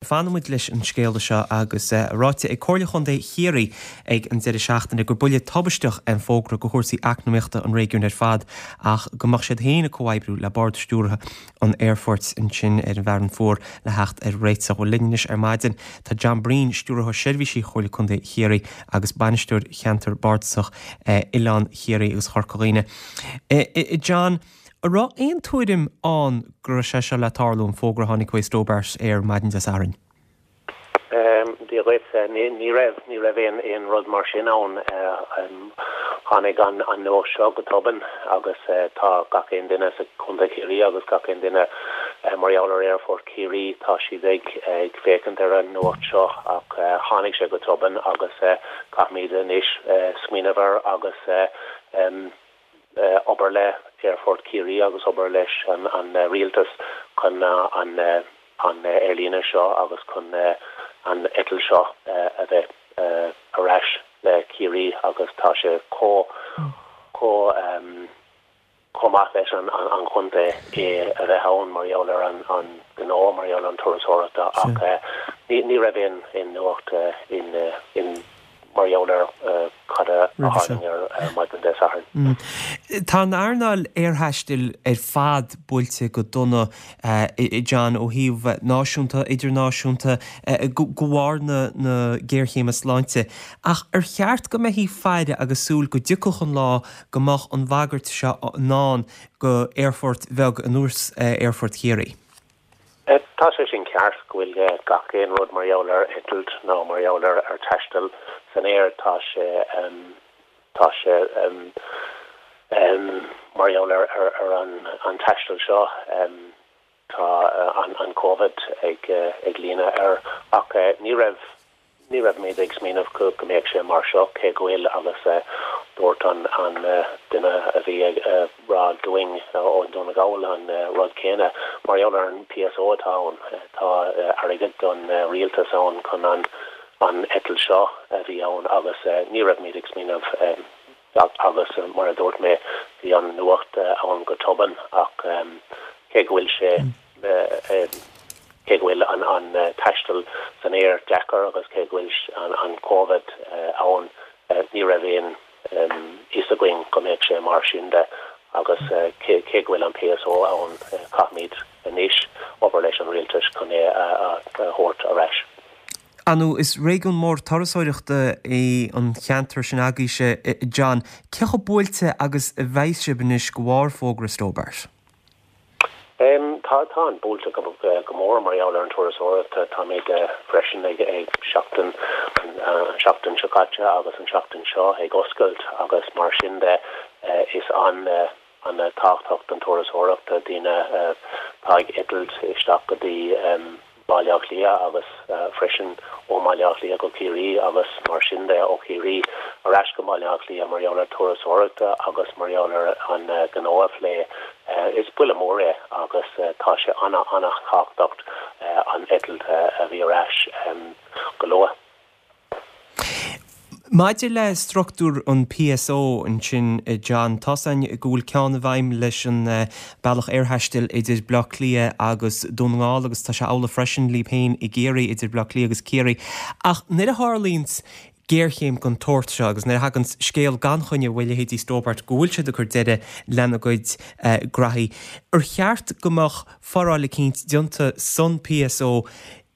Fanfaidh muid leis an scéala seo agus é ráite ag Comhairle Chontae Chiarraí ag an deireadh seachtaine gur buille tubaisteach é an fógra go chúrsaí eacnamaíochta an réigiúin ar fad ach go mbeadh siad féin ag comhoibriú le Bord Stiúrtha an Aerfoirt ansin ar an bhFearann Fuar le theacht ar réiteach. Bhuel linn anois ar maidin tá John Breen, Stiúrthóir Seirbhísí Chomhairle Contae Chiarraí agus Bainisteoir Cheantar Bardasach Oileán Chiarraí agus Chorca Dhuibhne. John, An raibh aon tuairim ann go raibh sé seo le tarlú, an fógra a tháinig uaidh Stobart Air maidin Dé Sathairn? Dia dhuit. Ní raibh, ní raibh aon aon rud mar sin ann. Tháinig an an nuacht seo go tobann agus tá gach aon duine sa Chontae Chiarraí agus gach aon duine mar gheall ar Aerfort Chiarraí, tá siad ag ag féachaint ar an nuacht seo ach tháinig sé go tobann agus caithfimid anois smaoineamh air agus obair le Aerfort Chiarraí agus obair leis an rialtas chun an aerlíne seo agus chun an eitilt seo a bheith ar ais le Ciarraí agus tá sé chomh chomh chomh maith leis an chontae é a bheith ann mar gheall ar an gnó, mar gheall ar an turasóireachta ach ní raibh aon nuacht in mar gheall ar cad a tharlaigh ar maidin Dé Sathairn. Tá an earnáil aerthaistil ar fad buailte go dona, John, ó thaobh náisiúnta, idirnáisiúnta, de bharr na géarchéime sláinte. Ach ar cheart go mbeifí ag faire agus súil go dtiocfadh an lá go mbeadh an bhagairt seo i ndán go aerfort bheag ar nós Aerfort Chiarraí? Tá sé sin ceart go bhfuil gach aon rud mar gheall ar eitilt nó mar gheall ar taisteal san aer, tá sé tá sé mar gheall ar ar an taisteal seo tá an Covid ag ag líonadh air ach ní raibh Ní raibh muid ag smaoineamh go mbeadh sé mar seo, cé go bhfuil, agus dúirt an duine a bhí ag rá dúinn ó Dún na Gall an rud céanna, mar gheall ar an PSO atá ann, tá airgead don rialtas ann chun an eitilt seo a bhí ann agus ní raibh muid ag smaoineamh agus mar a dúirt mé, bhí an nuacht ann go tobann ach cé go bhfuil sé. Cé go bhfuil an taisteal san aer deacair agus cé go bhfuil an Covid ann, ní raibh aon fhios againn go mbeadh sé mar sin de agus cé go bhfuil an PSO ann, caithfimid anois obair leis an rialtas chun é a thabhairt ar ais. Ar ndóigh, is réigiún mór turasóireachta é an cheantar sin agaibhse, John. Cé chomh buailte agus a bheidh sibh anois de bharr fógra Stobart? Tá, tá an buailte go mór mar gheall ar an turasóireacht. Táimid freisin ag seachtain, an seachtain seo caite agus an seachtain seo ag oscailt agus mar sin de is an an-tábhachtach don turasóireacht, daoine atá ag eitilt isteach go dtí Baile Átha Cliath agus freisin ó mBaile Átha Cliath go Ciarraí agus mar sin de ó Chiarraí ar ais go Baile Átha Cliath mar gheall ar turasóireachta agus mar gheall ar an gnó a phlé. Is buille mór é agus tá sé ana-ana-thábhachtach an eitilt a bhí ar ais go luath. Maidir le structúr an PSO ansin, John, tá's againn go bhfuil ceann i bhfeidhm leis an bealach aerthaistil idir Bleá Cliath agus Dún na nGall agus tá sé amhlaidh freisin libh féin i gCiarraí idir Bleá Cliath agus Ciarraí. Ach nuair a tharlaíonns géarchéim den tsórt seo agus nuair a thaganns scéal gan choinne uaidh leithéidí Stobart go bhfuil siad ag cur deireadh lena gcuid graithí, ar cheart go mbeadh foráil eicínt déanta san PSO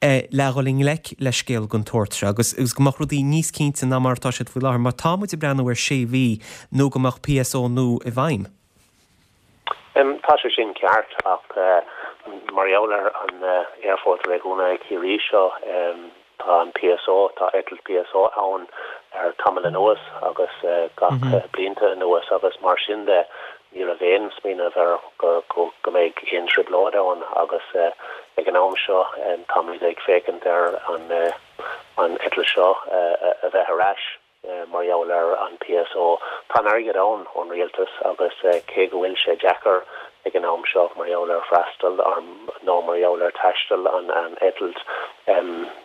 le dhul i ngleic le scéal den tsórt seo agus go mbeadh rudaí níos cinnte ná mar atá siad faoi láthair, mar tá muid ag breathnú ar sé mhí nó go mbeadh PSO nua i bhfeidhm. Tá sé sin ceart ach mar gheall ar an Aerfort Réigiúnach Chiarraí seo, tá an PSO, tá eitilt PSO ann ar tamall anuas agus gach blianta anuas agus mar sin de Ní raibh aon smaoineamh ar go mbeidh aon trioblóid ann agus ag an am seo táimid ag féachaint ar an eitilt seo a bheith ar ais mar gheall ar an PSO. Tá an airgead ann ón rialtas agus cé go bhfuil sé deacair ag an am seo mar gheall ar freastal nó mar gheall ar taisteal an eitilt,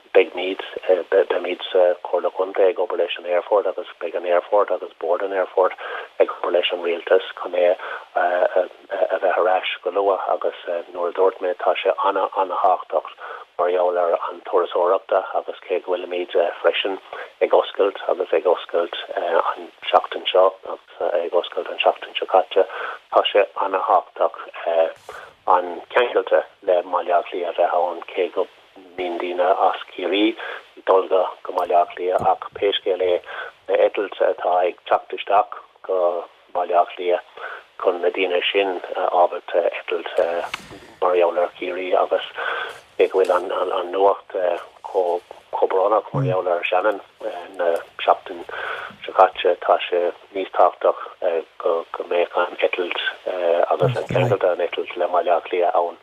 Beimid, beimid sa Chomhairle Contae ag obair leis an Aerfort agus beidh an Aerfort agus Bord an Aerfoirt ag obair leis an Rialtas chun é a bheith ar ais go luath agus nuair a dúirt mé tá sé ana-ana-thábhachtach. Mar gheall ar an turasóireachta agus cé go bhfuilimid freisin ag oscailt agus ag oscailt an seachtain seo agus ag oscailt an seachtain seo caite, tá sé ana-thábhachtach an ceangailte le Baile Átha Cliath a bheith ann cé go mbíonn daoine as Ciarraí ag dul go Baile Átha Cliath ach pé scéal é na eitilt atá ag teacht isteach go Baile Átha Cliath chun na daoine sin ábalta eitilt mar gheall ar Chiarraí agus cé go bhfuil an nuacht chomh brónach mar gheall ar Shannon na seachtain seo caite, tá sé níos tábhachtach go mbeadh an eitilt agus an ceangal den eitilt le Baile Átha Cliath ann.